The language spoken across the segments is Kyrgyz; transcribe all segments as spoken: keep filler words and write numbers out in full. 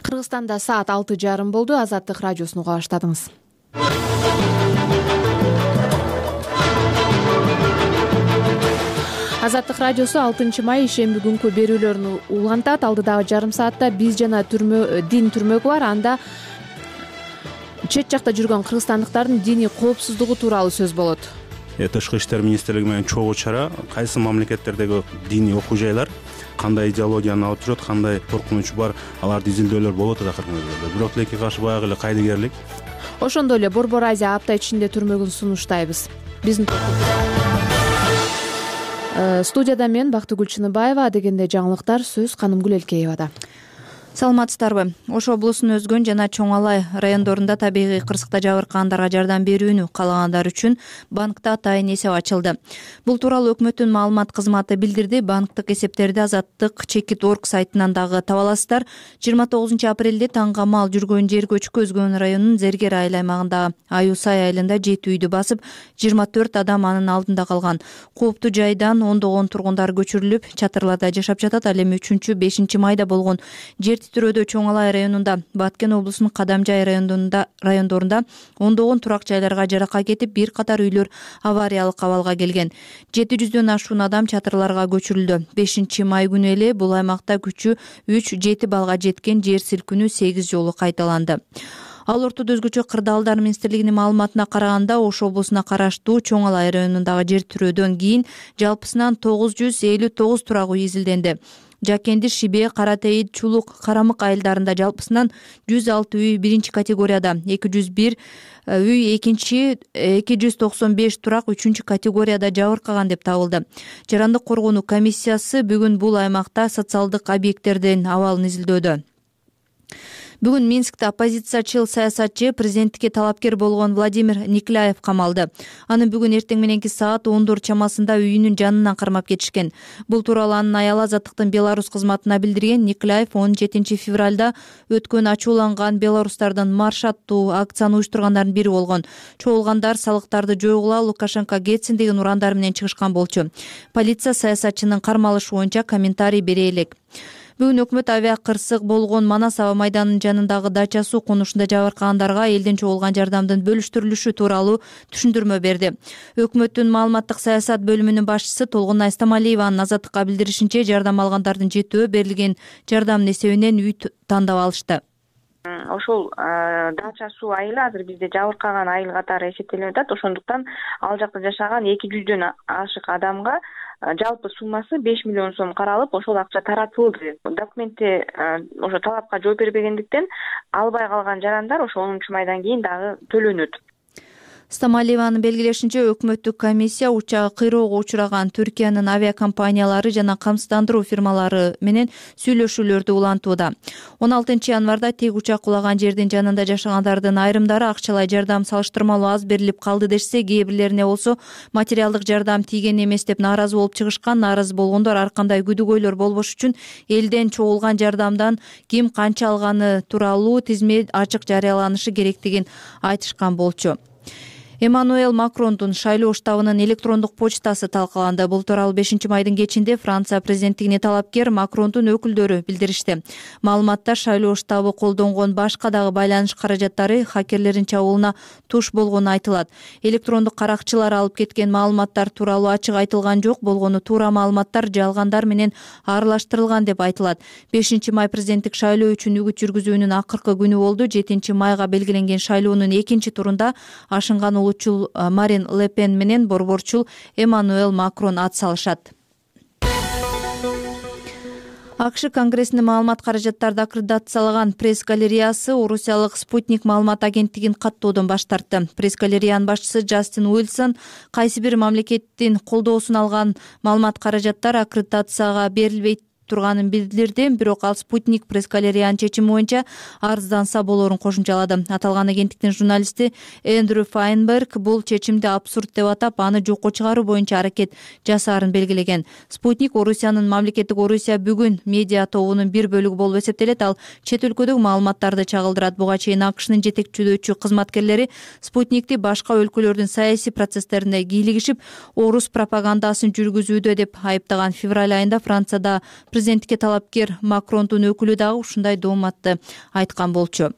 Кыргызстанда саат алты жарым болду. Азаттык радиосун уга баштадыңыз. Азаттык радиосу алтынчы май ишемби күнкү берүүлөрүн улантат. Алдыдагы жарым саатта биз жана түрмө дин түрмөгү бар. Анда чет жакта жүргөн кыргызстандыктардын диний коопсуздугу тууралуу сөз болот. Тышкы иштер министрлиги менен чогуу чара, кайсы мамлекеттердеги диний окуу жайлар кандай идеологияны алып жүрөт, кандай коркунуч бар, аларды изилдөөлөр болот акыркы кездерде. Бирок тилекке каршы баягы эле кайдыгерлик. Ошондой эле Борбор Азия апта ичинде түрмөгүн сунуштайбыз. Биздин студияда мен Бактыгүл Чыныбаева, дегенде жаңылыктар сөз Канымгүл Элкеевада. Саламатсыздарбы? Ош облусунун Өзгөн жана Чоң Алай райондорунда табигый кырсыкта жабыркагандарга жардам берүүнү каалагандар үчүн банкта атайын эсеп ачылды. Бул тууралуу өкмөттүн маалымат кызматы билдирди. Банктык эсептерди Азаттык чекит орг сайтынан дагы таба аласыздар. жыйырма тогузунчу апрелде таңга мал жүргөн жер көчкү Өзгөн районунун Зергер айыл аймагындагы Аюсай айылында жети үйдү басып, жыйырма төрт адам анын алдында калган. Кооптуу жайдан ондогон тургундар көчүрүлүп, чатырларда жашап жатат. Ал эми үчүнчү бешинчи майда болгон жер титирөөдө Чоң Алай районунда, Баткен облусунун Кадамжай районунда райондорунда ондогон турак жайларга жарака кетип, бир катар үйлөр авариялык абалга келген. жети жүздөн ашуун адам чатырларга көчүрүлдү. бешинчи май күнү эле бул аймакта күчү үч жети балга жеткен жер силкинүү сегиз жолу кайталанды. Ал ортодо өзгөчө кырдаалдар министрлигинин маалыматына караганда, Ош облусуна караштуу Чоң Алай районундагы жер тирөөдөн кийин жалпысынан тогуз жүз элүү тогуз турак үй изилденди. Жакенди, Шибе, Каратейит, Чулук, Карамык айылдарында жалпысынан жүз алты үй биринчи категорияда, эки жүз бир үй экинчи, эки жүз токсон беш турак үчүнчү категорияда жабыркаган деп табылды. Жарандык коргонуу комиссиясы бүгүн бул аймакта социалдык объекттердин абалын изилдөөдө. Бүгүн Минскте оппозициячыл саясатчы, президенттикке талапкер болгон Владимир Никляев камалды. Аны бүгүн эртең мененки саат ондор чамасында үйүнүн жанынан кармап кетишкен. Бул тууралуу анын аялы Азаттыктын Беларусь кызматына билдирген. Никляев он жетинчи февралда өткөн ачууланган белорустардын марш аттуу акцияны уюштургандардын бири болгон. Чогулгандар салыктарды жойгула, Лукашенко кетсин деген урандар менен чыгышкан болчу. Полиция саясатчынын кармалышы боюнча комментарий бере элек. Бүгүн өкмөт авиа кырсык болгон Манас аба майданынын жанындагы дача суу конушунда жабыркагандарга элден чогулган жардамдын бөлүштүрүлүшү тууралуу түшүндүрмө берди. Өкмөттүн маалыматтык саясат бөлүмүнүн башчысы Толгонай Стамалиеванын Азаттыкка билдиришинче, жардам алгандардын жетөө берилген жардамдын эсебинен үй тандап алышты. Ошол дача суу айылы азыр бизде жабыркаган айыл катары эсептелип атат. Ошондуктан ал жакта жашаган эки жүздөн ашык адамга жалпы суммасы беш миллион сом каралып, ошол акча таратылды. Документте ошо талапка жооп бербегендиктен албай калган жарандар ошо онунчу майдан кийин дагы төлөнөт. Стамалиеванын белгилешинче, өкмөттүк комиссия учагы кыйроого учураган Түркиянын авиакомпаниялары жана камсыздандыруу фирмалары менен сүйлөшүүлөрдү улантууда. он алтынчы январда тек учак кулаган жердин жанында жашагандардын айрымдары акчалай жардам салыштырмалуу аз берилип калды дешсе, кээ бирлерине болсо материалдык жардам тийген эмес деп нааразы болуп чыгышкан. Нааразы болгондор ар кандай күдүгөйлөр болбош үчүн элден чогулган жардамдан ким канча алганы тууралуу тизме ачык жарыяланышы керектигин айтышкан болчу. Эммануэл Макрондун шайлоо штабынын электрондук почтасы талкаланды. Бул тууралуу бешинчи майдын кечинде Франция президенттигине талапкер Макрондун өкүлдөрү билдиришти. Маалыматта шайлоо штабы колдонгон башка дагы байланыш каражаттары хакерлердин чабуулуна туш болгону айтылат. Электрондук каракчылар алып кеткен маалыматтар тууралуу ачык айтылган жок, болгону туура маалыматтар жалгандар менен аралаштырылган деп айтылат. бешинчи май президенттик шайлоо үчүн үгүт жүргүзүүнүн акыркы күнү болду. жетинчи майга белгиленген шайлоонун экинчи турунда ашынган улутчул Марин Ле Пен менен борборчул Эммануэл Макрон ат салышат. АКШ Конгрессинин маалымат каражаттарды аккредитациялаган пресс-галереясы орусиялык Спутник маалымат агенттигин каттоодон баш тартты. Пресс-галереянын башчысы Джастин Уилсон кайсы бир мамлекеттин колдоосун алган маалымат каражаттар аккредитацияга берилбейт турганын билдирди. Бирок ал Спутник пресс-галереянын чечими боюнча арызданса болорун кошумчалады. Аталган агенттиктин журналисти Эндрю Файнберг бул чечимди абсурд деп атап, аны жокко чыгаруу боюнча аракет жасаарын белгилеген. Спутник Орусиянын мамлекеттик Орусия бүгүн медиа тобунун бир бөлүгү болуп эсептелет. Ал чет өлкөдөгү маалыматтарды чагылдырат. Буга чейин АКШнын жетекчилөөчү кызматкерлери Спутникти башка өлкөлөрдүн саясий процесстерине кийлигишип, орус пропагандасын жүргүзүүдө деп айыптаган. Февраль айында Францияда президенттикке талапкер Макрондун өкүлү дагы ушундай дооматты айткан болчу.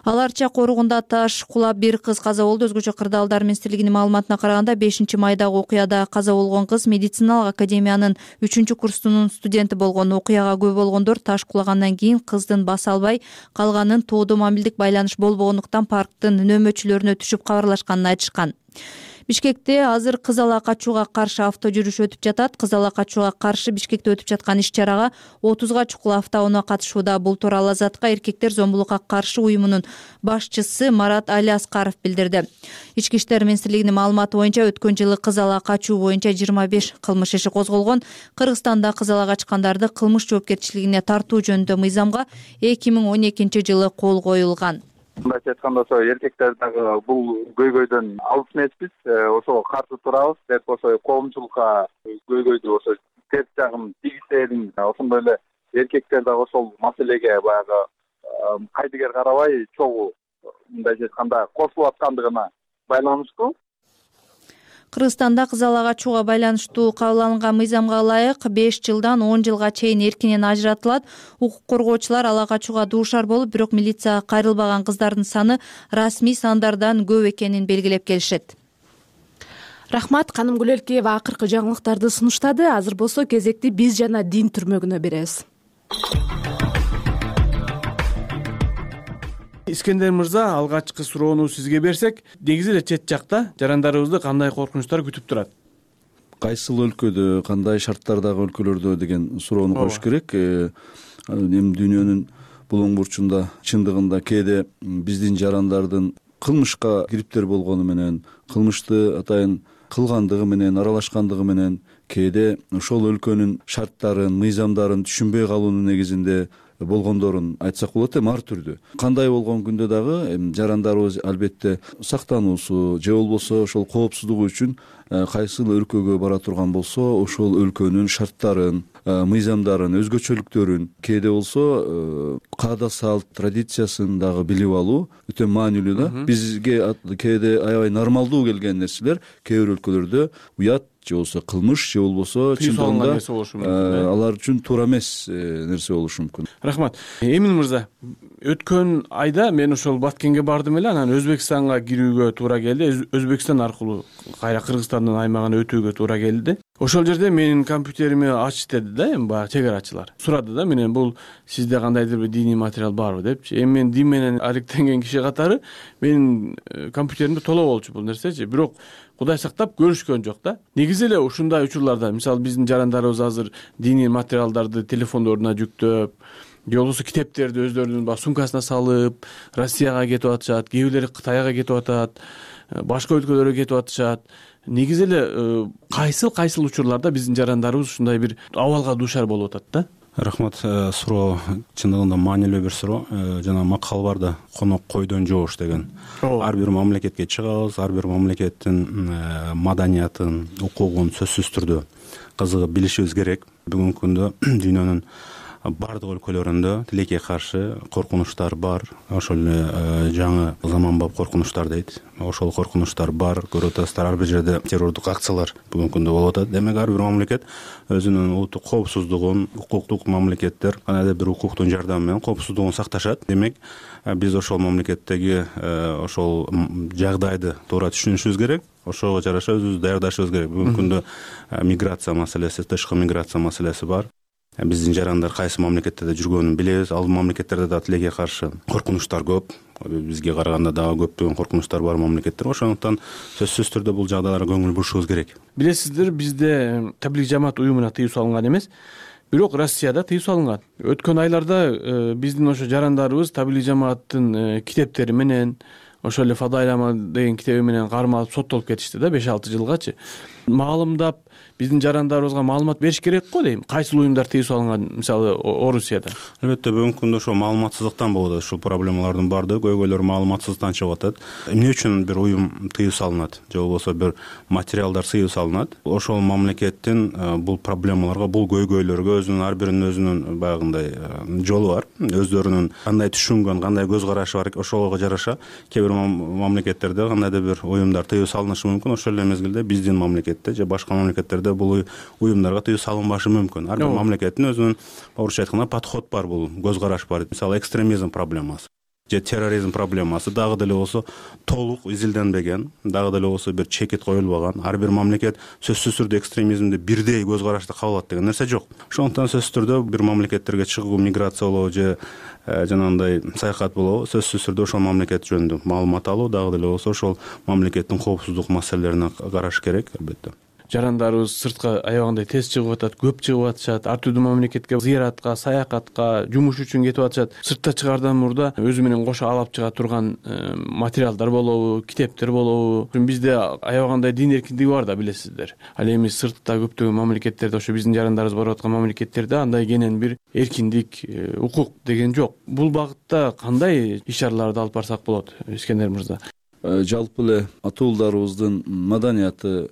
Ал Арча коругунда таш кулап бир кыз каза болду. Өзгөчө Кырдаалдар министрлигинин маалыматына караганда бешинчи майдагы окуяда каза болгон кыз медициналык академиянын үчүнчү курсунун студенти болгон. Окуяга күбө болгондор таш кулагандан кийин кыздын баса албай калганын, тоодо мобилдик байланыш болбогондуктан парктын нөөмөчүлөрүнө түшүп кабарлашканын айтышкан. Бишкекте азыр кыз ала качууга каршы авто жүрүш өтүп жатат. Кыз ала качууга каршы Бишкекте өтүп жаткан иш-чарага отузга чукул автоунаа катышууда. Бул тууралуу Азаттыкка эркектер зомбулукка каршы уюмунун башчысы Марат Али Аскаров билдирди. Ички иштер министрлигинин маалыматы боюнча өткөн жылы кыз ала качуу боюнча жыйырма беш кылмыш иши козголгон. Кыргызстанда кыз ала качкандарды кылмыш жоопкерчилигине тартуу жөнүндө мыйзамга эки миң он экинчи жылы кол коюлган. Мындайча айтканда, ошо эркектер дагы бул көйгөйдөн алыс эмеспиз, ошого каршы турабыз деп, ошо коомчулукка көйгөйдү ошо терс жагын тийгизсең, ошондой эле эркектер дагы ошол маселеге баягы кайдыгер карабай чогуу мындайча айтканда кошулуп аткандыгына байланыштуу. Кыргызстанда кыз ала качууга байланыштуу кабыл алынган мыйзамга ылайык беш жылдан он жылга чейин эркинен ажыратылат. Укук коргоочулар ала качууга дуушар болуп, бирок милицияга кайрылбаган кыздардын саны расмий сандардан көп экенин белгилеп келишет. Рахмат, Каным Гүлөлкеева акыркы жаңылыктарды сунуштады. Азыр болсо кезекти биз жана дин түрмөгүнө беребиз. Искендер мырза, алгачкы суроону сизге берсек, негизи эле чет жакта жарандарыбызды кандай коркунучтар күтүп турат? Кайсыл өлкөдө, кандай шарттардагы өлкөлөрдө деген суроону коюш керек. Эми дүйнөнүн булуң бурчунда чындыгында кээде биздин жарандардын кылмышка кириптер болгону менен, кылмышты атайын кылгандыгы менен, аралашкандыгы менен кээде ошол өлкөнүн шарттарын, мыйзамдарын түшүнбөй калуунун негизинде болгондорун айтсак болот. Эми ар түрдүү. Кандай болгон күндө дагы жарандарыбыз албетте сактануусу же болбосо ошол коопсуздугу үчүн кайсыл өлкөгө бара турган болсо, ошол өлкөнүн шарттарын, мыйзамдарын, өзгөчөлүктөрүн, кээде болсо каада салт, традициясын дагы билип алуу өтө маанилүү да. Бизге кээде аябай нормалдуу келген нерселер кээ бир өлкөлөрдө уят же болбосо кылмыш же болбосо чындыгында алар үчүн туура эмес нерсе болушу мүмкүн. Рахмат. Эмин мырза, өткөн айда мен ошол Баткенге бардым эле, анан Өзбекстанга кирүүгө туура келди. Өзбекстан аркылуу кайра Кыргызстандын аймагына өтүүгө туура келди. Ошол жерде менин компьютерими ач деди да, эми баягы чек арачылар. Сурады да менен, бул сизде кандайдыр бир диний материал барбы депчи. Эми мен дин менен алектенген киши катары менин компьютеримде толо болчу бул нерсечи. Бирок Кудай сактап көрүшкөн жок да. Негизи эле ушундай учурларда, мисалы биздин жарандарыбыз азыр диний материалдарды телефондоруна жүктөп, же болбосо китептерди өздөрүнүн баягы сумкасына салып, Россияга кетип атышат, кээ бирлери Кытайга кетип атат, башка өлкөлөргө кетип атышат. Негизи эле кайсыл кайсыл учурларда биздин жарандарыбыз ушундай бир абалга дуушар болуп атат да? Рахмат, суроо чындыгында маанилүү бир суроо. Жана макал бар да, конок койдон жоош деген. Ар бир мамлекетке чыгабыз, ар бир мамлекеттин маданиятын, укугун сөзсүз түрдө кызыгып билишибиз керек. Бүгүнкү күндө дүйнөнүн бардык өлкөлөрүндө тилекке каршы коркунучтар бар. Ошол эле жаңы заманбап коркунучтар дейт. Ошол коркунучтар бар. Көрүп атасыздар, ар бир жерде террордук акциялар бүгүнкү күндө болуп атат. Демек ар бир мамлекет өзүнүн улуттук коопсуздугун, укуктук мамлекеттер кандайдыр бир укуктун жардамы менен коопсуздугун сакташат. Демек биз ошол мамлекеттеги ошол жагдайды туура түшүнүшүбүз керек. Ошого жараша өзүбүздү даярдашыбыз керек. Бүгүнкү күндө миграция маселеси, тышкы миграция маселеси бар. Биздин жарандар кайсы мамлекеттерде жүргөнүн билебиз. Ал мамлекеттерде да тилекке каршы коркунучтар көп. Бизге караганда дагы көптөгөн коркунучтар бар мамлекеттер. Ошондуктан сөзсүз түрдө бул жагдайларга көңүл бурушубуз керек. Билесиздер, бизде таблик жамаат уюмуна тыюу салынган эмес, бирок Россияда тыюу салынган. Өткөн айларда биздин ошо жарандарыбыз таблик жамааттын китептери менен, ошол эле Фадайлама деген китеби менен кармалып соттолуп кетишти да, беш алты жылгачы. Маалымдап биздин жарандарыбызга маалымат бериш керек го дейм. Кайсыл уюмдар тыюу салынган, мисалы Орусияда? Албетте бүгүнкү күндө ошо маалыматсыздыктан болуп атат. Ушул проблемалардын бардыгы көйгөйлөр маалыматсыздыктан чыгып атат. Эмне үчүн бир уюм тыюу салынат же болбосо бир материалдар тыюу салынат? Ошол мамлекеттин бул проблемаларга, бул көйгөйлөргө өзүнүн ар биринин өзүнүн баягындай жолу бар. Өздөрүнүн кандай түшүнгөн, кандай көз карашы бар, ошого жараша кээ бир мамлекеттерде кандайдыр бир уюмдар тыюу салынышы мүмкүн. Ошол эле мезгилде биздин мамлекет мамлекетте же башка мамлекеттерде бул уюмдарга тыюу салынбашы мүмкүн. Ар бир мамлекеттин өзүнүн орусча айтканда подход бар, бул көз караш бар. Мисалы экстремизм проблемасы же терроризм проблемасы дагы деле болсо толук изилденбеген, дагы деле болсо бир чекит коюлбаган. Ар бир мамлекет сөзсүз түрдө экстремизмди бирдей көз карашты кабыл алат деген нерсе жок. Ошондуктан сөзсүз түрдө бир мамлекеттерге чыгуу, миграция болобу же жанагындай саякат болобу, сөзсүз түрдө ошол мамлекет жөнүндө маалымат алуу, дагы деле болсо ошол мамлекеттин коопсуздук маселелерине караш керек албетте. Жарандарыбыз сыртка аябагандай тез чыгып атат, көп чыгып атышат, ар түрдүү мамлекетке зыяратка, саякатка, жумуш үчүн кетип атышат. Сыртта чыгаардан мурда өзү менен кошо алып чыга турган материалдар болобу, китептер болобу. Бизде аябагандай дин эркиндиги бар да, билесиздер. Ал эми сыртта көптөгөн мамлекеттерде, ошо биздин жарандарыбыз барып аткан мамлекеттерде андай кенен бир эркиндик, укук деген жок. Бул багытта кандай иш-чараларды алып барсак болот, Искендер мырза? Жалпы эле атуулдарыбыздын маданияты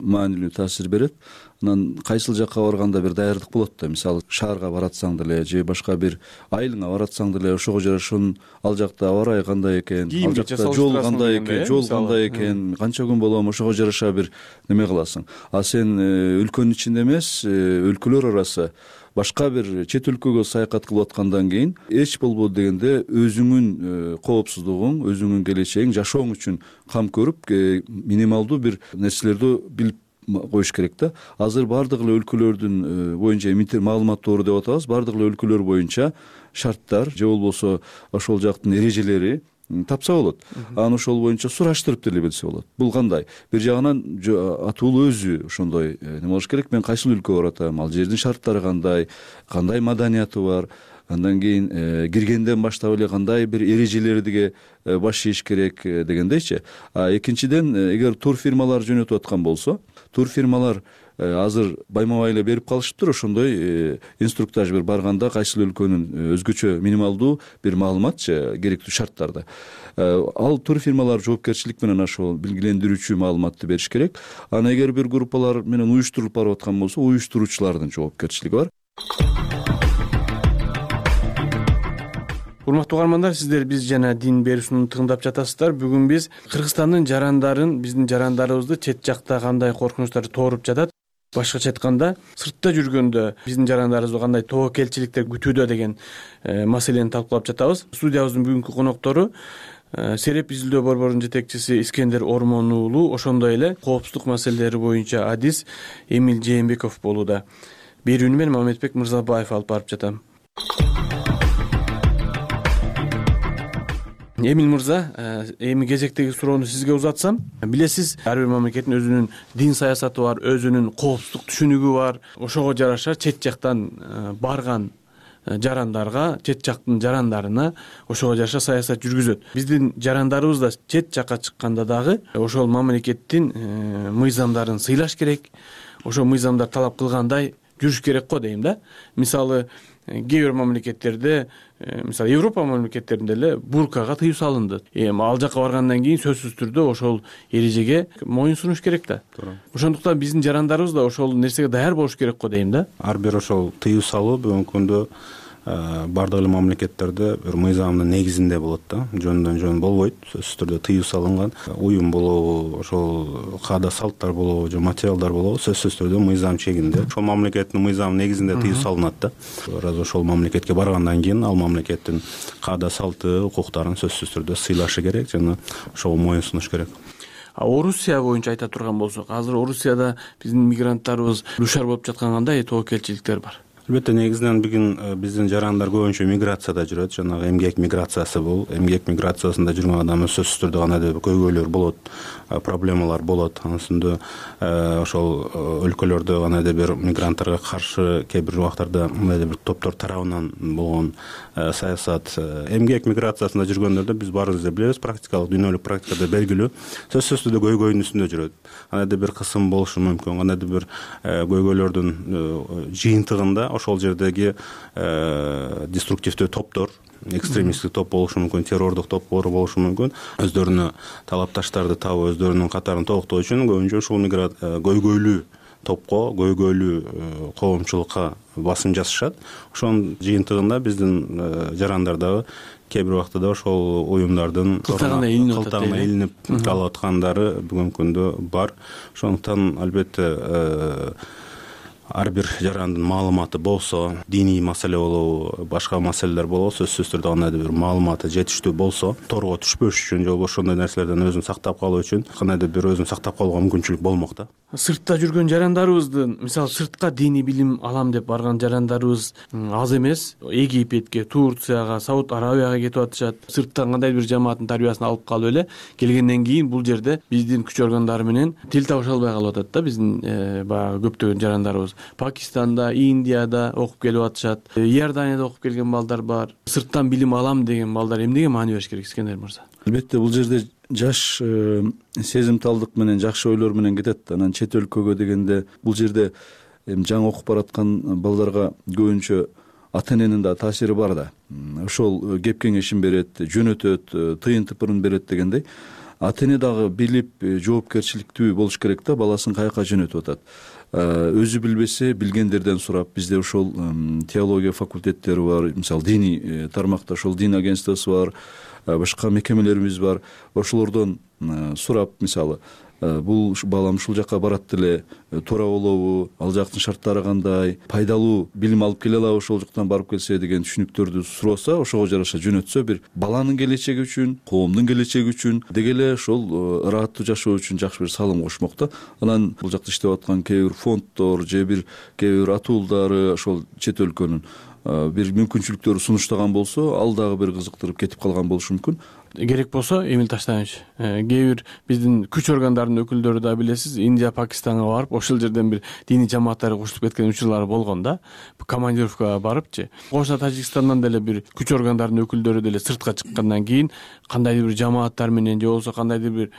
маанилүү таасир берет. Анан кайсыл жакка барганда бир даярдык болот да. Мисалы шаарга баратсаң деле же башка бир айылыңа баратсаң деле ошого жарашын ал жакта аба ырайы кандай экен, ал жакта жол кандай экен, жол кандай экен, канча күн болом, ошого жараша бир неме кыласың. А сен өлкөнүн ичинде эмес, өлкөлөр арасы башка бир чет өлкөгө саякат кылып аткандан кийин эч болбоду дегенде өзүңүн коопсуздугуң, өзүңүн келечегиң, жашооң үчүн кам көрүп минималдуу бир нерселерди билип коюш керек да. Азыр бардык эле өлкөлөрдүн боюнча маалымат тоору деп атабыз, бардык эле өлкөлөр боюнча шарттар же болбосо ошол жактын эрежелери тапса болот. Анан ошол боюнча сураштырып деле билсе болот. Бул кандай? Бир жагынан атуу өзү ошондой неме болуш керек. Мен кайсыл өлкөгө баратам, ал жердин шарттары кандай, кандай маданияты бар, андан кийин киргенден баштап эле кандай бир эрежелерге баш ийиш керек дегендейчи. А экинчиден, эгер тур фирмалар жөнөтүп аткан болсо, тур фирмалар азыр байма-бай эле берип калышыптыр. Ошондой инструктаж бир барганда кайсыл өлкөнүн өзгөчө минималдуу бир маалыматчы керектүү шарттарды. Ал тур фирмалар жоопкерчилик менен ошол билгилендирүүчү маалыматты бериш керек. Анан эгер бир группалар менен уюштурулуп барып аткан болсо, уюштуруучулардын жоопкерчилиги бар. Урматтуу угармандар, сиздер биз жана дин берүүсүн тыңдап жатасыздар. Бүгүн биз Кыргызстандын жарандарын, биздин жарандарыбызды чет жакта кандай коркунучтар тооруп жатат, башкача айтканда сыртта жүргөндө биздин жарандарыбызды кандай тобокелчиликтер күтүүдө деген маселени талкуулап жатабыз. Студиябыздын бүгүнкү коноктору Сереп изилдөө борборунун жетекчиси Искендер Ормон уулу, ошондой эле коопсуздук маселелери боюнча адис Эмиль Жээнбеков болууда. Берүүнү мен Мамедбек Мырзабаев алып барып жатам. Эмиль мырза, эми кезектеги суроону сизге узатсам, билесиз, ар бир мамлекеттин өзүнүн дин саясаты бар, өзүнүн коопсуздук түшүнүгү бар. Ошого жараша чет жактан барган жарандарга, чет жактын жарандарына ошого жараша саясат жүргүзөт. Биздин жарандарыбыз да чет жакка чыкканда дагы ошол мамлекеттин мыйзамдарын сыйлаш керек. Ошол мыйзамдар талап кылгандай жүрүш керек го дейм да. Мисалы, кээ бир мамлекеттерде, мисалы Европа мамлекеттеринде эле буркага тыюу салынды. Эми ал жакка баргандан кийин сөзсүз түрдө ошол эрежеге моюн сунуш керек да. Ошондуктан биздин жарандарыбыз да ошол нерсеге даяр болуш керек го дейм да. Ар бир ошол тыюу салуу бүгүнкү күндө бардык эле мамлекеттерде бир мыйзамдын негизинде болот да. Жөндөн жөн болбойт. Сөзсүз түрдө тыюу салынган уюм болобу, ошол каада салттар болобу же материалдар болобу, сөзсүз түрдө мыйзам чегинде. Ошол мамлекеттин мыйзамы негизинде тыюу салынат да. Раз ошол мамлекетке баргандан кийин ал мамлекеттин каада салты, укуктарын сөзсүз түрдө сыйлашы керек жана ошого моюн сунуш керек. А Орусия боюнча айта турган болсок, азыр Орусияда биздин мигранттарыбыз дуушар болуп жаткан кандай тобокелчиликтер бар? Албетте, негизинен бүгүн биздин жарандар көбүнчө миграцияда жүрөт. Жанагы эмгек миграциясы бул. Эмгек миграциясында жүргөн адам сөзсүз түрдө кандайдыр бир көйгөйлөр болот, проблемалар болот. Анын үстүндө ошол өлкөлөрдө кандайдыр бир мигранттарга каршы кээ бир убактарда кандайдыр бир топтор тарабынан болгон саясат. Эмгек миграциясында жүргөндөрдө биз баарыбыз эле билебиз, практикалык, дүйнөлүк практикада белгилүү, сөзсүз түрдө көйгөйдүн үстүндө жүрөт. Кандайдыр бир кысым болушу мүмкүн, кандайдыр бир көйгөйлөрдүн жыйынтыгында ошол жердеги деструктивдүү топтор, экстремисттик топ болушу мүмкүн, террордук топтор болушу мүмкүн. Өздөрүнө талапташтарды табып, өздөрүнүн катарын толуктоо үчүн көбүнчө ушул көйгөйлүү топко, көйгөйлүү коомчулукка басым жасашат. Ошонун жыйынтыгында биздин жарандар дагы кээ бир убакта да ошол уюмдардын кылтагына илинип калып аткандары бүгүнкү күндө бар. Ошондуктан албетте ар бир жарандын маалыматы болсо, диний маселе болобу, башка маселелер болобу, сөзсүз түрдө кандайдыр бир маалыматы жетиштүү болсо, торго түшпөш үчүн же болбосо ошондой нерселерден өзүн сактап калуу үчүн кандайдыр бир өзүн сактап калууга мүмкүнчүлүк болмок да. Сыртта жүргөн жарандарыбыздын, мисалы сыртка диний билим алам деп барган жарандарыбыз аз эмес. Египетке, Турцияга, Сауд Арабияга кетип атышат. Сырттан кандайдыр бир жамааттын тарбиясын алып калып эле келгенден кийин бул жерде биздин күч органдары менен тил табыша албай калып атат да биздин баягы көптөгөн жарандарыбыз. Пакистанда, Индияда окуп келип атышат. Иорданияда окуп келген балдар бар. Сырттан билим алам деген балдар эмнеге маани бериш керек, Искендер мырза? Албетте бул жерде жаш сезимталдык менен, жакшы ойлор менен кетет. Анан чет өлкөгө дегенде бул жерде эми жаңы окуп бараткан балдарга көбүнчө ата эненин да таасири бар да. Ошол кеп кеңешин берет, жөнөтөт, тыйын тыпырын берет дегендей. Ата эне дагы билип, жоопкерчиликтүү болуш керек да, баласын каяка жөнөтүп атат. Өзү билбесе билгендерден сурап, бизде ошол теология факультеттери бар, мисалы диний тармакта ошол дин агентствосу бар, башка мекемелерибиз бар. Ошолордон сурап, мисалы бул балам ушул жака барат эле, туура болобу, ал жактын шарттары кандай, пайдалуу билим алып келе алабы ошол жактан барып келсе деген түшүнүктөрдү сураса, ошого жараша жөнөтсө, бир баланын келечеги үчүн, коомдун келечеги үчүн, деги эле ошол ыраттуу жашоо үчүн жакшы бир салым кошмок да. Анан бул жакта иштеп аткан кээ бир фонддор же бир кээ бир атуулдары ошол чет өлкөнүн бир мүмкүнчүлүктөрү сунуштаган болсо, ал дагы бир кызыктырып кетип калган болушу мүмкүн. Керек болсо, Эмил Таштанович, кээ бир биздин күч органдарынын өкүлдөрү да билесиз, Индия, Пакистанга барып, ошол жерден бир диний жамааттары курчулуп кеткен учурлары болгон да. Командировкага барыпчы. Кошуна Тажикстандан деле бир күч органдарынын өкүлдөрү деле сыртка чыккандан кийин кандайдыр бир жамааттар менен же болбосо кандайдыр бир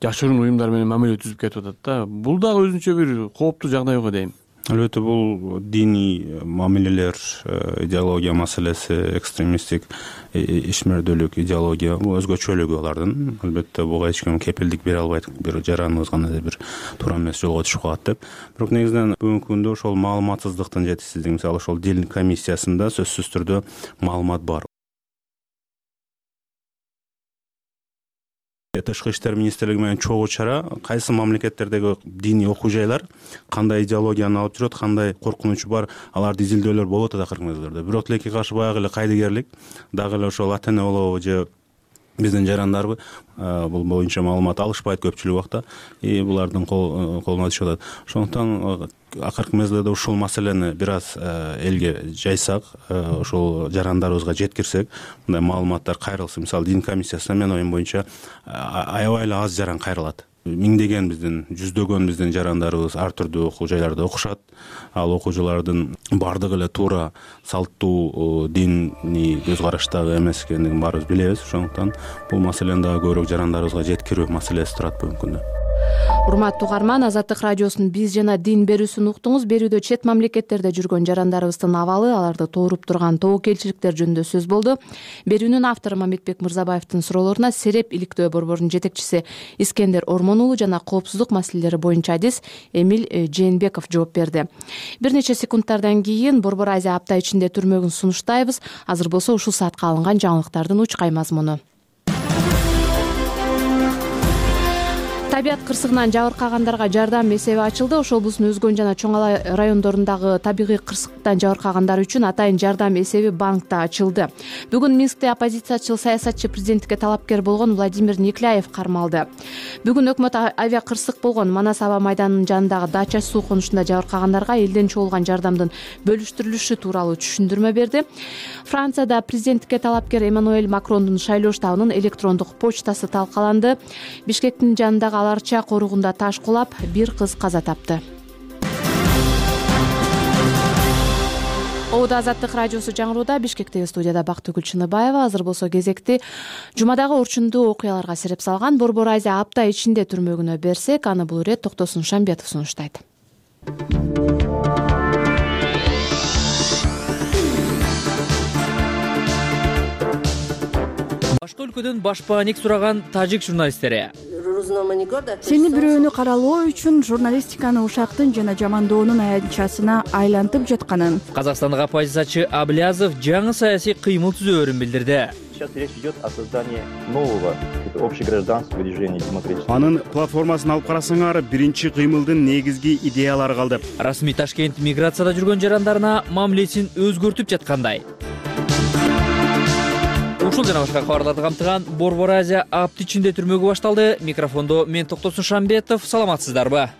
жашыруун уюмдар менен мамиле түзүп кетип атат да. Бул дагы өзүнчө бир кооптуу жагдай го дейм. Албетте бул диний мамилелер, идеология маселеси, экстремисттик ишмердүүлүк идеология бул өзгөчөлүгү алардын. Албетте буга эч ким кепилдик бере албайт, бир жараныбыз кандайдыр бир туура эмес жолго түшүп калат деп. Бирок негизинен бүгүнкү күндө ошол маалыматсыздыктын жетишсиздиги, мисалы ошол дин комиссиясында сөзсүз түрдө маалымат бар. Тышкы иштер министрлиги менен чогуу чара кайсы мамлекеттердеги диний окуу жайлар кандай идеологияны алып жүрөт, кандай коркунучу бар, аларды изилдөөлөр болуп атат акыркы мезгилдерде. Бирок тилекке каршы баягы эле кайдыгерлик, дагы эле ошол ата эне болобу же биздин жарандарбы бул боюнча маалымат алышпайт көпчүлүк убакта, и булардын колуна түшүп атат. Ошондуктан акыркы мезгилде ушул маселени бир аз элге жайсак, ошол жарандарыбызга жеткирсек, мындай маалыматтар кайрылса, мисалы дин комиссиясына менин оюм боюнча аябай эле аз жаран кайрылат. Миңдеген биздин, жүздөгөн биздин жарандарыбыз ар түрдүү окуу жайларда окушат. Ал окуучулардын бардыгы эле туура салттуу диний көз караштагы эмес экендигин баарыбыз билебиз. Ошондуктан бул маселени дагы көбүрөөк жарандарыбызга жеткирүү маселеси турат бүгүнкү күндө. Урматтуу угарман, Азаттык радиосунун биз жана дин берүүсүн уктуңуз. Берүүдө чет мамлекеттерде жүргөн жарандарыбыздын абалы, аларды тууруп турган тобокелчиликтер жөнүндө сөз болду. Берүүнүн автору Мамедбек Мырзабаевдин суроолоруна Сереп иликтөө борборунун жетекчиси Искендер Ормон уулу жана коопсуздук маселелери боюнча адис Эмил Жээнбеков жооп берди. Бир нече секундтардан кийин Борбор Азия апта ичинде түрмөгүн сунуштайбыз. Азыр болсо ушул саатка алынган жаңылыктардын учкай мазмуну. Табият кырсыгынан жабыркагандарга жардам эсеби ачылды. Ош облусунун Өзгөн жана Чоң Алай райондорундагы табигый кырсыктан жабыркагандар үчүн атайын жардам эсеби банкта ачылды. Бүгүн Минскте оппозициячыл саясатчы президенттикке талапкер болгон Владимир Некляев кармалды. Бүгүн өкмөт авиа кырсык болгон Манас аба майданынын жанындагы дача суу конушунда жабыркагандарга элден чогулган жардамдын бөлүштүрүлүшү тууралуу түшүндүрмө берди. Францияда президенттикке талапкер Эммануэль Макрондун шайлоо штабынын электрондук почтасы талкаланды. Бишкектин жанындагы Аларча коругунда таш кулап, бир кыз каза тапты. Оуда Азаттык радиосу жаңырууда. Бишкектеги студияда Бактыгүл Чыныбаева. Азыр болсо кезекти жумадагы орчундуу окуяларга сереп салган Борбор Азия апта ичинде түрмөгүнө берсек, аны бул ирет Токтосун Шамбетов сунуштайт. Башка өлкөдөн баш бааник сураган тажик журналисттери. сени бирөөнү каралоо үчүн журналистиканы ушактын жана жамандоонун аянтчасына айлантып жатканын, казакстандык оппозициячы Аблязов жаңы саясий кыймыл түзөөрүн билдирди. Сейчас речь идет о создании нового общегражданского движения демократического. Анын платформасын алып карасаңар, биринчи кыймылдын негизги идеялары калды. Расмий Ташкент миграцияда жүргөн жарандарына мамилесин өзгөртүп жаткандай. Ушул жана башка кабарларды камтыган Борбор Азия апт ичинде түрмөгө башталды. Микрофондо мен Токтосун Шамбетов. Саламатсыздарбы?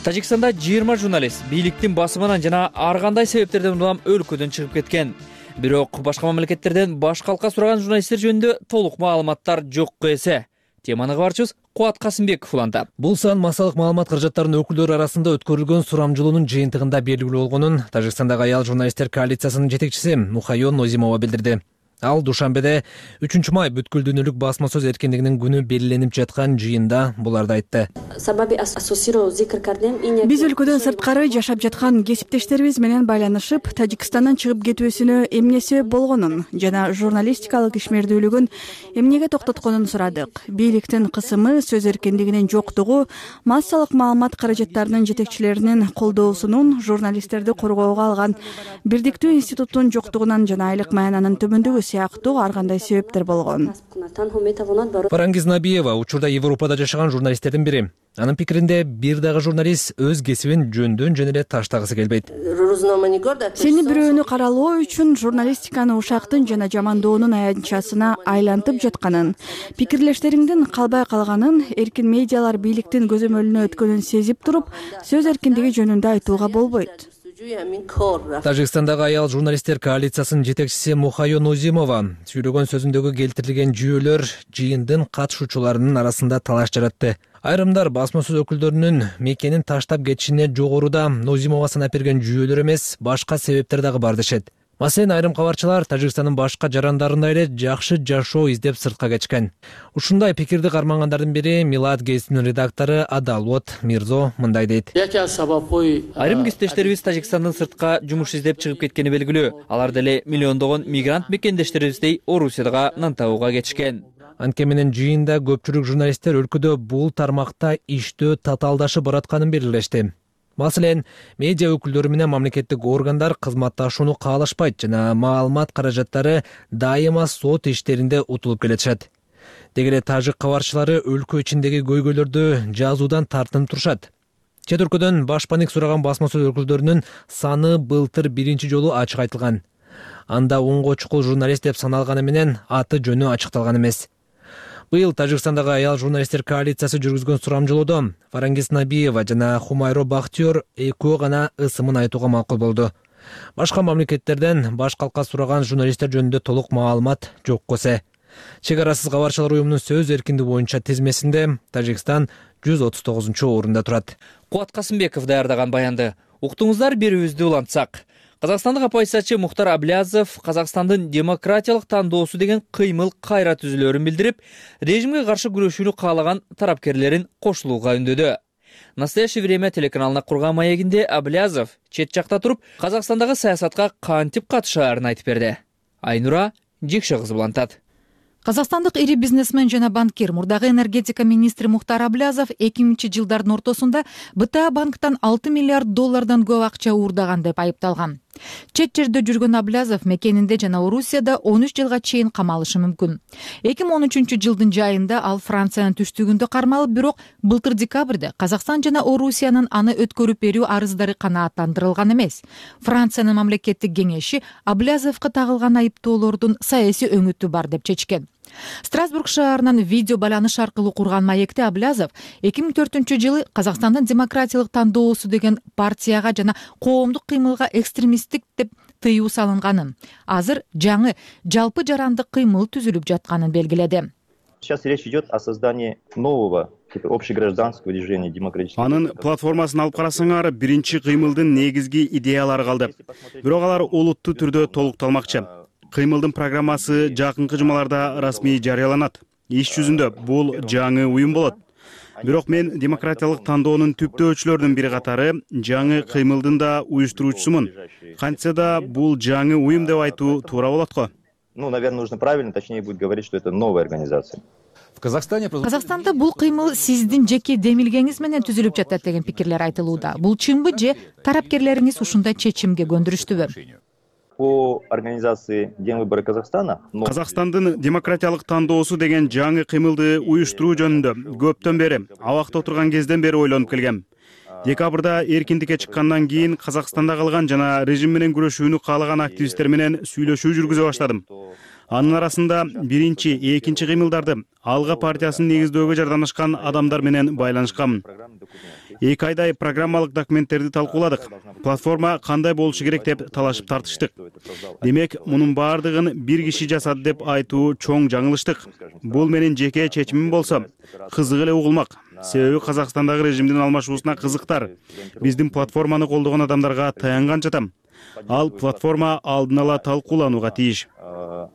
Тажикстанда жыйырма журналист бийликтин басымынан жана ар кандай себептерден улам өлкөдөн чыгып кеткен. Бирок башка мамлекеттерден баш калка сураган журналисттер жөнүндө толук маалыматтар жокко эсе. Теманы кабарчыбыз Кубат Касымбеков улантат. Бул сан массалык маалымат каражаттарынын өкүлдөрү арасында өткөрүлгөн сурамжылоонун жыйынтыгында белгилүү болгонун Тажикстандагы аял журналисттер коалициясынын жетекчиси Мухайо Нозимова билдирди. Ал Душанбеде үчүнчү май бүткүл дүйнөлүк басма сөз эркиндигинин күнү белгиленип жаткан жыйында буларды айтты. Биз өлкөдөн сырткары жашап жаткан кесиптештерибиз менен байланышып, Тажикстандан чыгып кетүүсүнө эмне себеп болгонун жана журналистикалык ишмердүүлүгүн эмнеге токтотконун сурадык. Бийликтин кысымы, сөз эркиндигинин жоктугу, массалык маалымат каражаттарынын жетекчилеринин колдоосунун, журналисттерди коргоого алган бирдиктүү институттун жоктугунан жана айлык маянанын төмөндүгү сыяктуу ар кандай себептер болгон. Фарангиз Набиева учурда Европада жашаган журналисттердин бири. Анын пикиринде бир дагы журналист өз кесибин жөндөн жөн эле таштагысы келбейт. Сени бирөөнү каралоо үчүн журналистиканы ушактын жана жамандоонун аянтчасына айлантып жатканын, пикирлештериңдин калбай калганын, эркин медиалар бийликтин көзөмөлүнө өткөнүн сезип туруп, сөз эркиндиги жөнүндө айтууга болбойт. Тажикстандагы аял журналисттер коалициясынын жетекчиси Мухайо Нозимова сүйлөгөн сөзүндөгү келтирилген жүйөлөр жыйындын катышуучуларынын арасында талаш жаратты. Айрымдар басма сөз өкүлдөрүнүн мекенин таштап кетишине жогоруда Нозимова санап берген жүйөлөр эмес, башка себептер дагы бар дешет. Маселен, айрым кабарчылар Тажикстандын башка жарандарындай эле жакшы жашоо издеп сыртка кетишкен. Ушундай пикирди кармангандардын бири Милат гезитинин редактору Адалот Мирзо мындай дейт. Айрым кесиптештерибиз Тажикстандын сыртка жумуш издеп чыгып кеткени белгилүү. Алар деле миллиондогон мигрант мекендештерибиздей Орусияга нан табууга кетишкен. Анткени менен жыйында көпчүлүк журналисттер өлкөдө бул тармакта иштөө татаалдашып баратканын белгилешти. Маселен, медиа өкүлдөрү менен мамлекеттик органдар кызматташууну каалашпайт жана маалымат каражаттары дайыма сот иштеринде утулуп келатышат. Деги эле тажик кабарчылары өлкө ичиндеги көйгөйлөрдү жазуудан тартынып турушат. Чет өлкөдөн башпаник сураган басма сөз өкүлдөрүнүн саны былтыр биринчи жолу ачык айтылган. Анда онго чукул журналист деп саналганы менен аты жөнү ачыкталган эмес. Быйыл Тажикстандагы аял журналисттер коалициясы жүргүзгөн сурамжылоодо Фарангиз Набиева жана Хумайро Бахтиёр экөө гана ысымын айтууга макул болду. Башка мамлекеттерден баш калка сураган журналисттер жөнүндө толук маалымат жокко эсе. Чек арасыз кабарчылар уюмунун сөз эркиндиги боюнча тизмесинде Тажикстан жүз отуз тогузунчу орунда турат. Кубат Касымбеков даярдаган баянды уктуңуздар, берүүбүздү улантсак. Казакстандык оппозициячы Мухтар Аблязов Казакстандын демократиялык тандоосу деген кыймыл кайра түзүлөөрүн билдирип, режимге каршы күрөшүүнү каалаган тарапкерлерин кошулууга үндөдү. Настоящее время телеканалына курган маегинде Аблязов чет жакта туруп, Казакстандагы саясатка кантип катышаарын айтып берди. Айнура Жекше кызы улантат. Казакстандык ири бизнесмен жана банкир, мурдагы энергетика министри Мухтар Аблязов эки миңинчи жылдардын ортосунда Б Т А банктан алты миллиард доллардан көп акча уурдаган деп айыпталган. Чет жерде жүргөн Аблязов мекенинде жана Орусияда он үч жылга чейин камалышы мүмкүн. эки миң он үчүнчү жылдын жайында ал Франциянын түштүгүндө кармалып, бирок былтыр декабрда Казакстан жана Орусиянын аны өткөрүп берүү арыздары канааттандырылган эмес. Франциянын мамлекеттик кеңеши Аблязовго тагылган айыптоолордун саясий өңүтү бар деп чечкен. Страсбург шаарынан видео байланыш аркылуу курган маекте Аблязов эки миң төртүнчү жылы Казакстандын демократиялык тандоосу деген партияга жана коомдук кыймылга экстремисттик деп тыюу салынганын, азыр жаңы жалпы жарандык кыймыл түзүлүп жатканын белгиледи. Сейчас речь идет о создании нового общегражданского движения демократического. Анын платформасын алып карасаңар, биринчи кыймылдын негизги идеялары калды. Бирок алар олуттуу түрдө толукталмакчы. Кыймылдын программасы жакынкы жумаларда расмий жарыяланат. Иш жүзүндө бул жаңы уюм болот. Бирок мен демократиялык тандоонун түптөөчүлөрүнүн бири катары жаңы кыймылдын да уюштуруучусумун. Кантса да бул жаңы уюм деп айтуу туура болот го. Ну, наверное, нужно правильно, точнее будет говорить, что это новая организация. Казакстанда бул кыймыл сиздин жеке демилгеңиз менен түзүлүп жатат деген пикирлер айтылууда. Бул чынбы же тарапкерлериңиз ушундай чечимге көндүрүштүбү? По организации День выборы Казахстана Казакстандын демократиялык тандоосу деген жаңы кыймылды уюштуруу жөнүндө көптөн бери, абакта отурган кезден бери ойлонуп келгем. Декабрда эркиндикке чыккандан кийин Казакстанда калган жана режим менен күрөшүүнү каалаган активисттер менен сүйлөшүү жүргүзө баштадым. Анын арасында биринчи, экинчи кыймылдарды Алга партиясын негиздөөгө жардамдашкан адамдар менен байланышканмын. Эки айдай программалык документтерди талкууладык. Платформа кандай болушу керек деп талашып тартыштык. Демек, мунун баардыгын бир киши жасады деп айтуу чоң жаңылыштык. Бул менин жеке чечимим болсо, кызык эле угулмак. Себеби Казакстандагы режимдин алмашуусуна кызыктар. Биздин платформаны колдогон адамдарга таянганча жатам. Ал платформа алдын ала талкууланууга тийиш.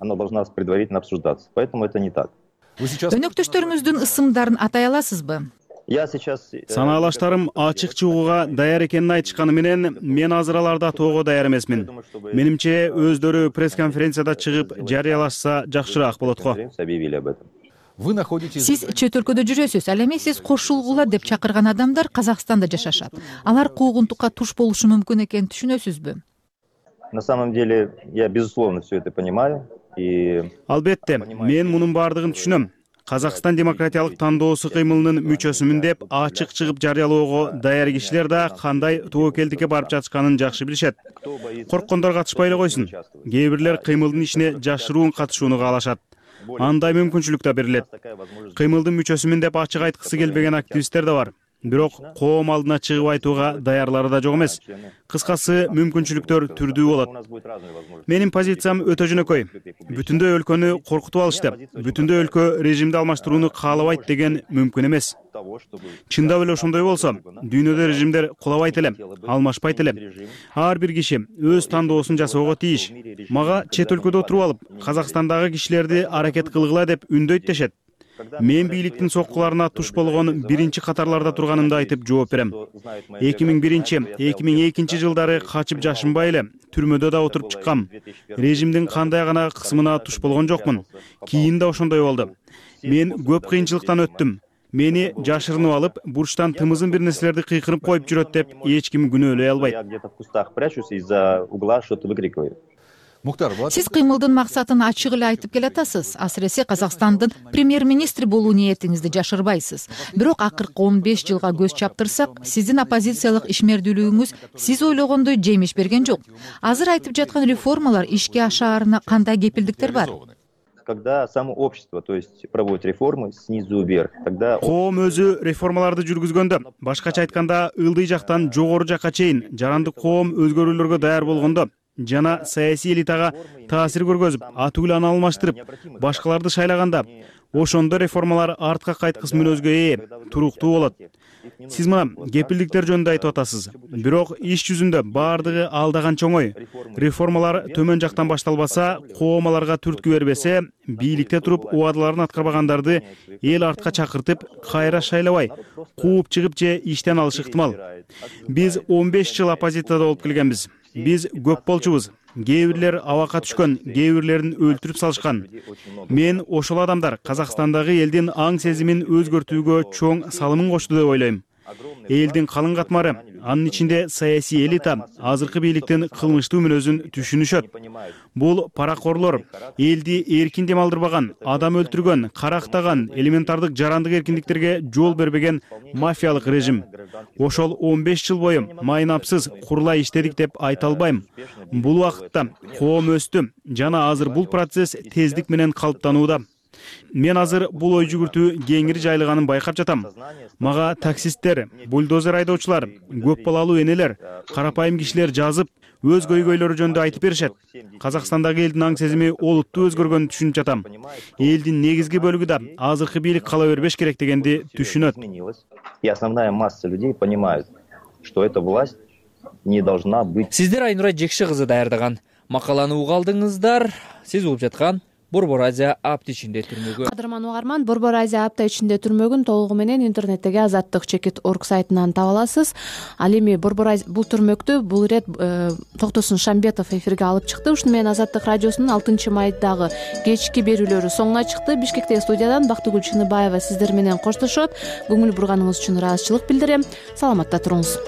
Она должна предварительно обсуждаться. Поэтому это не так. Өнөктөштөрүңүздүн ысымдарын атай аласызбы? Я сейчас Санаалаштарым ачык чыгууга даяр экенин айтышканы менен мен азыр аларды атоого даяр эмесмин. Менимче өздөрү пресс-конференцияда чыгып жарыялашса жакшыраак болот го. Сиз чет өлкөдө жүрөсүз, ал эми сиз кошулгула деп чакырган адамдар Казакстанда жашашат. Алар куугунтукка туш болушу мүмкүн экенин түшүнөсүзбү? На самом деле я безусловно все это понимаю и Албетте, мен мунун баардыгын түшүнөм. Казакстан демократиялык тандоосу кыймылынын мүчөсүмүн деп ачык чыгып жарыялоого даяр кишилер да кандай тобокелдикке барып жатышканын жакшы билишет. Корккондор катышпай эле койсун. Кээ бирлер кыймылдын ишине жашыруун катышууну каалашат. Андай мүмкүнчүлүк да берилет. Кыймылдын мүчөсүмүн деп ачык айткысы келбеген активисттер да бар. Бирок коом алдына чыгып айтууга даярлары да жок эмес. Кыскасы, мүмкүнчүлүктөр түрдүү болот. Менин позициям өтө жөнөкөй. Бүтүндөй өлкөнү коркутуп алышты. Бүтүндөй өлкө режимди алмаштырууну каалабайт деген мүмкүн эмес. Чындап эле ошондой болсо, дүйнөдө режимдер кулабайт эле, алмашпайт эле. Ар бир киши өз тандоосун жасоого тийиш. Мага чет өлкөдө отуруп алып, Казакстандагы кишилерди аракет кылгыла деп үндөйт дешет. Мен бийликтин соккуларына туш болгон биринчи катарларда турганымды айтып жооп берем. эки миң биринчи — эки миң экинчи жылдары качып жашынбай эле түрмөдө да отуруп чыккам. Режимдин кандай гана кысымына туш болгон жокмун. Кийин да ошондой болду. Мен көп кыйынчылыктан өттүм. Мени жашырынып алып, бурчтан тымызын бир нерселерди кыйкырып коюп жүрөт деп эч ким күнөөлөй албайт. Я где-то в кустах прячусь, из-за угла что-то выкрикиваю. Сиз кыймылдын максатын ачык эле айтып келатасыз. Асыресе Казакстандын премьер-министри болуу ниетиңизди жашырбайсыз. Бирок акыркы он беш жылга көз чаптырсак, сиздин оппозициялык ишмердүүлүгүңүз сиз ойлогондой жемиш берген жок. Азыр айтып жаткан реформалар ишке ашаарына кандай кепилдиктер бар? Когда само общество, то есть проводит реформы снизу вверх, тогда коом өзү реформаларды жүргүзгөндө, башкача айтканда, ылдый жактан жогору жакка чейин жарандык коом өзгөрүүлөргө даяр болгондо жана саясий элитага таасир көргөзүп, аты-үланы алмаштырып, башкаларды шайлаганда, ошондо реформалар артка кайткыс мүнөзгө ээ, туруктуу болот. Сиз мына кепилдиктер жөнүндө айтып атасыз. Бирок иш жүзүндө баардыгы алдаганча оңой. Реформалар төмөн жактан башталбаса, коом аларга түрткү бербесе, бийликте туруп убадаларын аткарбагандарды эл артка чакыртып, кайра шайлабай, кууп чыгып же иштен алышы ыктымал. Биз он беш жыл оппозицияда болуп келгенбиз. Биз көп болчубуз. Кээ бирлер абакка түшкөн, кээ бирлерин өлтүрүп салышкан. Мен ошол адамдар Казакстандагы элдин аң сезимин өзгөртүүгө чоң салымын кошту деп ойлойм. Элдин калың катмары, анын ичинде саясий элита азыркы бийликтин кылмыштуу мүнөзүн түшүнүшөт. Бул паракорлор, элди эркин дем алдырбаган, адам өлтүргөн, карактаган, элементардык жарандык эркиндиктерге жол бербеген мафиялык режим. Ошол он беш жыл бою майнапсыз курулай иштедик деп айта албайм. Бул убакытта коом өстү жана азыр бул процесс тездик менен калыптанууда. Мен азыр бул ой жүгүртүү кеңири жайылганын байкап жатам. Мага таксисттер, бульдозер айдоочулар, көп балалуу энелер, карапайым кишилер жазып, өз көйгөйлөрү жөнүндө айтып беришет. Казакстандагы элдин аң сезими олуттуу өзгөргөнүн түшүнүп жатам. Элдин негизги бөлүгү да азыркы бийлик кала бербеш керек дегенди түшүнөт. И основная масса людей понимает, что эта власть не должна быть. Сиздер Айнура Жекши кызы даярдаган макаланы уга алдыңыздар. Сиз угуп жаткан Борбор Азия апта ичинде түрмөгө. Кадырман угарман, Борбор Азия апта ичинде түрмөгүн толугу менен интернеттеги азаттык чекит орг сайтынан таба аласыз. Ал эми Борбор Азия бул түрмөктү бул ирет Токтосун Шамбетов эфирге алып чыкты. Ушуну менен Азаттык радиосунун алтынчы майдагы кечки берүүлөрү соңуна чыкты. Бишкектеги студиядан Бактыгүл Чыныбаева сиздер менен коштошот. Көңүл бурганыңыз үчүн ыраазычылык билдирем. Саламатта туруңуз.